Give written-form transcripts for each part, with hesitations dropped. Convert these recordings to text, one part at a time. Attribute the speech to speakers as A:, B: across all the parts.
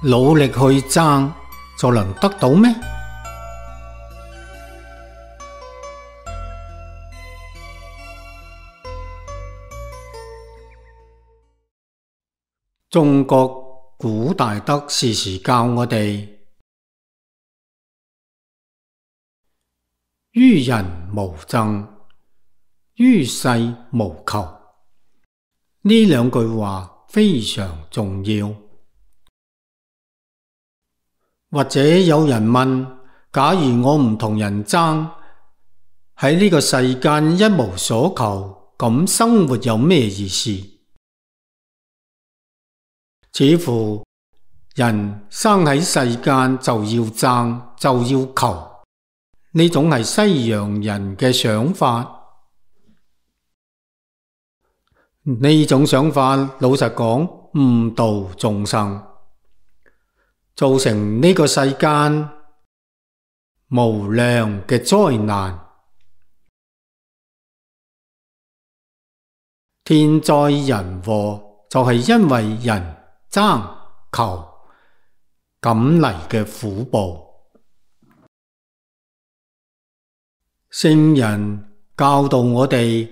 A: 努力去爭就能得到咩？中國古大德時時教我哋，於人無爭，於世無求。呢兩句話非常重要。或者有人問，假如我唔同人爭，喺呢個世間一無所求，咁生活有咩意思？似乎人生喺世間就要爭，就要求，呢種係西洋人嘅想法。呢種想法老實講，誤導眾生，造成呢個世間無量嘅災難。天災人禍就係因為人爭求咁嚟嘅苦報。聖人教導我哋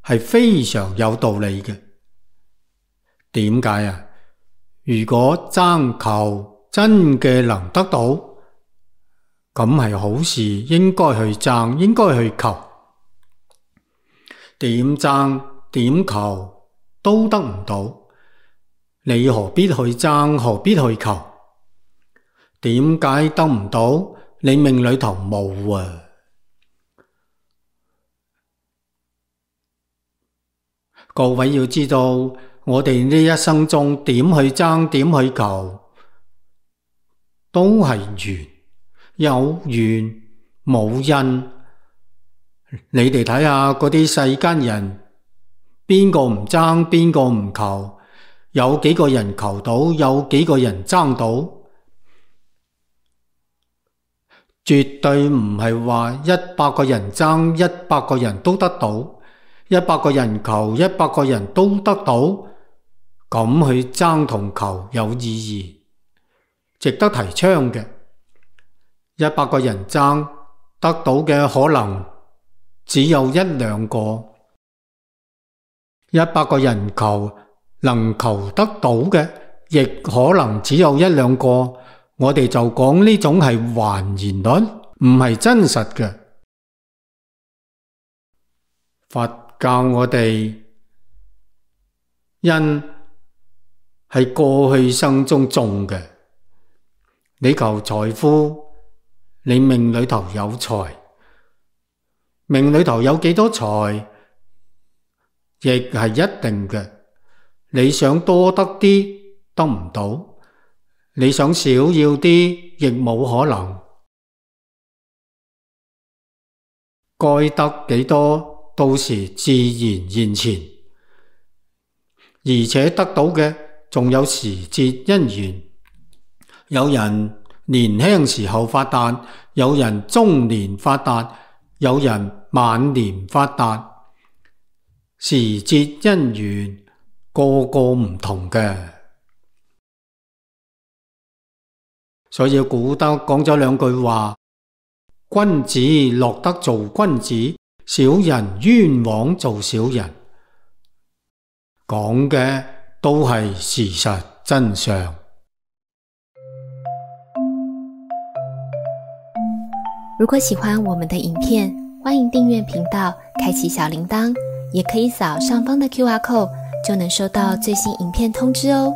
A: 係非常有道理嘅。點解啊？如果爭求真嘅能得到，咁係好事，應該去爭，應該去求。點爭點求都得唔到，你何必去爭，何必去求？點解得唔到？你命裏頭冇啊！各位要知道，我哋呢一生中點去爭，點去求，都係緣，有緣冇因。你哋睇下嗰啲世間人，邊個唔爭，邊個唔求？有幾個人求到，有幾個人爭到？絕對唔係話100個人爭，100個人都得到；100個人求，100個人都得到。咁去爭同求有意義，值得提倡嘅。100個人爭，得到嘅可能只有1兩個；100個人求，能求得到嘅亦可能只有1兩個。我哋就講呢種係還原率，唔係真實嘅。佛教我哋因係過去生中種嘅。你求財富，你命裏頭有財，命裏頭有幾多財，亦係一定嘅。你想多得啲，得唔到；你想少要啲，亦冇可能。該得幾多，到時自然現前，而且得到嘅仲有時節因緣。有人年輕時候發達，有人中年發達，有人晚年發達，時節因緣個個唔同嘅。所以古德講咗兩句話：君子樂得做君子，小人冤枉做小人。講嘅都係事實真相。
B: 如果喜歡我們的影片，歡迎訂閱頻道，開啟小鈴鐺，也可以掃上方的QR code，就能收到最新影片通知哦。